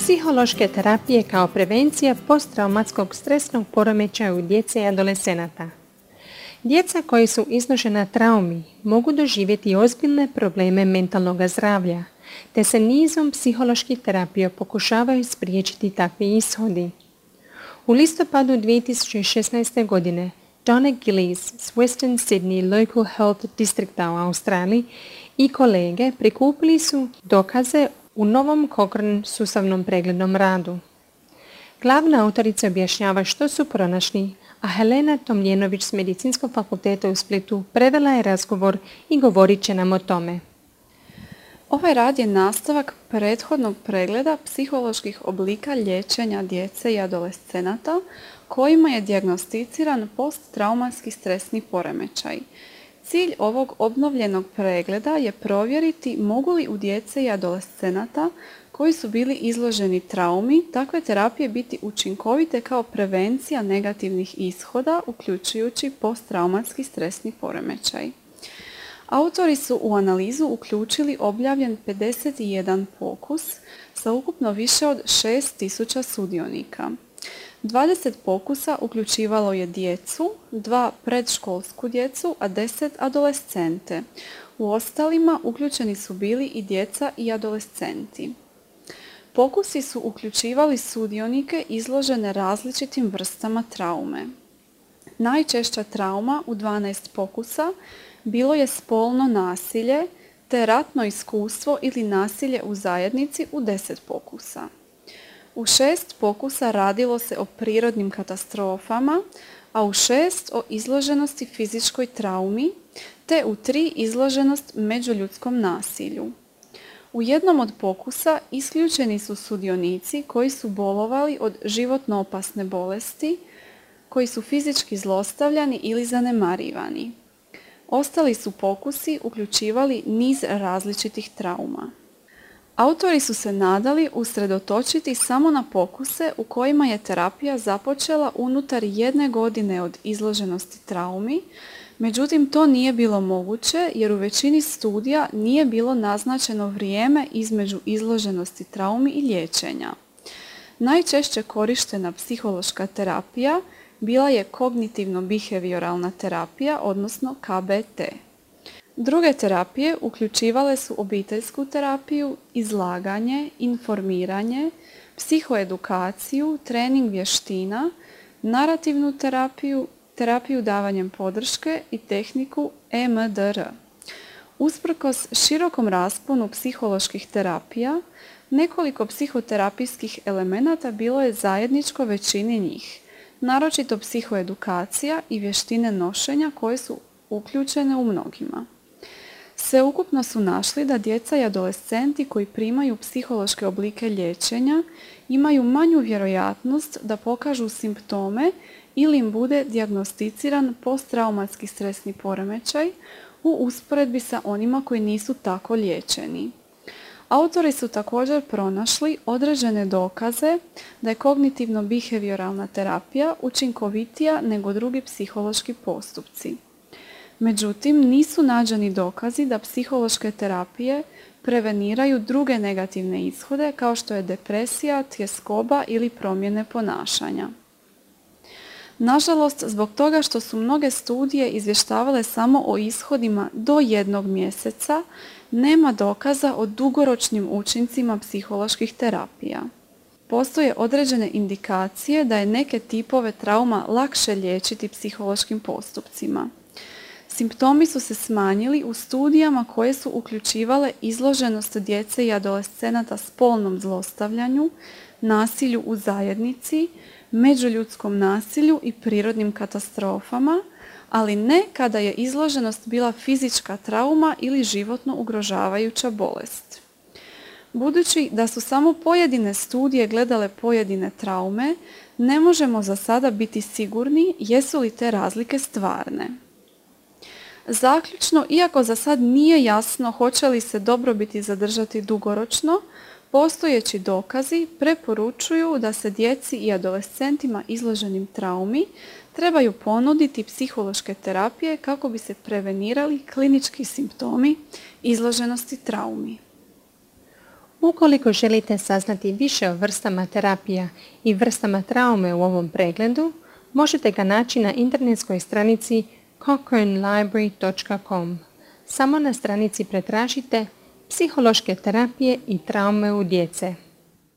Psihološke terapije kao prevencija posttraumatskog stresnog poremećaja u djece i adolescenata. Djeca koji su izložena traumi mogu doživjeti ozbiljne probleme mentalnog zdravlja, te se nizom psiholoških terapija pokušavaju spriječiti takvi ishodi. U listopadu 2016. godine Donna Gillies s Western Sydney Local Health Districta u Australiji i kolege prikupili su dokaze u novom Cochrane sustavnom preglednom radu. Glavna autorica objašnjava što su pronašli, a Helena Tomljenović s Medicinskog fakulteta u Splitu prevela je razgovor i govorit će nam o tome. Ovaj rad je nastavak prethodnog pregleda psiholoških oblika liječenja djece i adolescenata kojima je dijagnosticiran posttraumatski stresni poremećaj. Cilj ovog obnovljenog pregleda je provjeriti mogu li u djece i adolescenata koji su bili izloženi traumi takve terapije biti učinkovite kao prevencija negativnih ishoda, uključujući posttraumatski stresni poremećaj. Autori su u analizu uključili objavljen 51 pokus sa ukupno više od 6000 sudionika. 20 pokusa uključivalo je djecu, 2 predškolsku djecu, a 10 adolescente. U ostalima uključeni su bili i djeca i adolescenti. Pokusi su uključivali sudionike izložene različitim vrstama traume. Najčešća trauma u 12 pokusa bilo je spolno nasilje te ratno iskustvo ili nasilje u zajednici u 10 pokusa. U 6 pokusa radilo se o prirodnim katastrofama, a u 6 o izloženosti fizičkoj traumi, te u 3 izloženost međuljudskom nasilju. U jednom od pokusa isključeni su sudionici koji su bolovali od životno opasne bolesti, koji su fizički zlostavljani ili zanemarivani. Ostali su pokusi uključivali niz različitih trauma. Autori su se nadali usredotočiti samo na pokuse u kojima je terapija započela unutar 1 godine od izloženosti traumi, međutim to nije bilo moguće jer u većini studija nije bilo naznačeno vrijeme između izloženosti traumi i liječenja. Najčešće korištena psihološka terapija bila je kognitivno-behavioralna terapija, odnosno KBT. Druge terapije uključivale su obiteljsku terapiju, izlaganje, informiranje, psihoedukaciju, trening vještina, narativnu terapiju, terapiju davanjem podrške i tehniku EMDR. Usprkos širokom rasponu psiholoških terapija, nekoliko psihoterapijskih elemenata bilo je zajedničko većini njih, naročito psihoedukacija i vještine nošenja koje su uključene u mnogima. Sveukupno su našli da djeca i adolescenti koji primaju psihološke oblike liječenja imaju manju vjerojatnost da pokažu simptome ili im bude dijagnosticiran posttraumatski stresni poremećaj u usporedbi sa onima koji nisu tako liječeni. Autori su također pronašli određene dokaze da je kognitivno-behavioralna terapija učinkovitija nego drugi psihološki postupci. Međutim, nisu nađeni dokazi da psihološke terapije preveniraju druge negativne ishode kao što je depresija, tjeskoba ili promjene ponašanja. Nažalost, zbog toga što su mnoge studije izvještavale samo o ishodima do 1 mjeseca, nema dokaza o dugoročnim učincima psiholoških terapija. Postoje određene indikacije da je neke tipove trauma lakše liječiti psihološkim postupcima. Simptomi su se smanjili u studijama koje su uključivale izloženost djece i adolescenata spolnom zlostavljanju, nasilju u zajednici, međuljudskom nasilju i prirodnim katastrofama, ali ne kada je izloženost bila fizička trauma ili životno ugrožavajuća bolest. Budući da su samo pojedine studije gledale pojedine traume, ne možemo za sada biti sigurni jesu li te razlike stvarne. Zaključno, iako za sad nije jasno hoće li se dobrobiti zadržati dugoročno, postojeći dokazi preporučuju da se djeci i adolescentima izloženim traumi trebaju ponuditi psihološke terapije kako bi se prevenirali klinički simptomi izloženosti traumi. Ukoliko želite saznati više o vrstama terapija i vrstama traume u ovom pregledu, možete ga naći na internetskoj stranici cochranelibrary.com. Samo na stranici pretražite psihološke terapije i traume u djece.